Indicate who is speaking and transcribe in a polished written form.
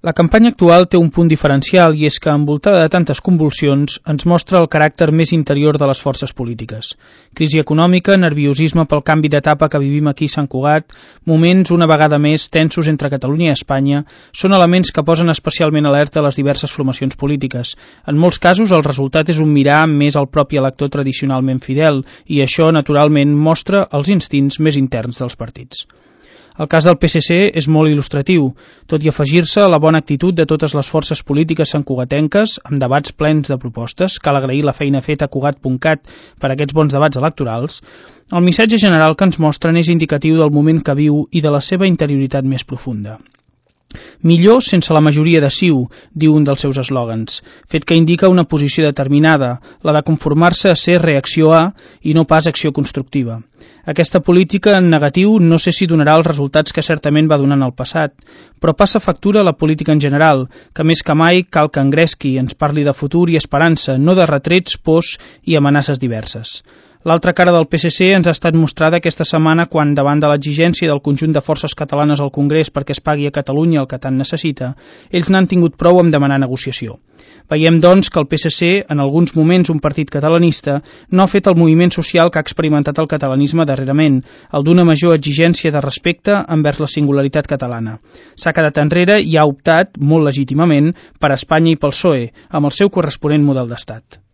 Speaker 1: La campanya actual té un punt diferencial i és que, envoltada de tantes convulsions, ens mostra el caràcter més interior de les forces polítiques. Crisi econòmica, nerviosisme pel canvi d'etapa que vivim aquí a Sant Cugat, moments una vegada més tensos entre Catalunya i Espanya, són elements que posen especialment alerta a les diverses formacions polítiques. En molts casos, el resultat és un mirar més al propi elector tradicionalment fidel i això, naturalment, mostra els instints més interns dels partits. El cas del PSC és molt il·lustratiu, tot i afegir-se a la bona actitud de totes les forces polítiques santcugatenques, amb debats plens de propostes, cal agrair la feina feta a Cugat.cat per aquests bons debats electorals, el missatge general que ens mostren és indicatiu del moment que viu i de la seva interioritat més profunda. Millor sense la majoria de CiU, diu un dels seus eslògans, fet que indica una posició determinada, la de conformar-se a ser reacció A i no pas acció constructiva. Aquesta política en negatiu no sé si donarà els resultats que certament va donar en el passat, però passa factura a la política en general, que més que mai cal que engresqui, ens parli de futur i esperança, no de retrets, pors i amenaces diverses. L'altra cara del PSC ens ha estat mostrada aquesta setmana quan, davant de l'exigència del conjunt de forces catalanes al Congrés perquè es pagui a Catalunya el que tant necessita, ells n'han tingut prou amb demanar negociació. Veiem, doncs, que el PSC, en alguns moments un partit catalanista, no ha fet el moviment social que ha experimentat el catalanisme darrerament, el d'una major exigència de respecte envers la singularitat catalana. S'ha quedat enrere i ha optat, molt legítimament, per Espanya i pel PSOE, amb el seu corresponent model d'estat.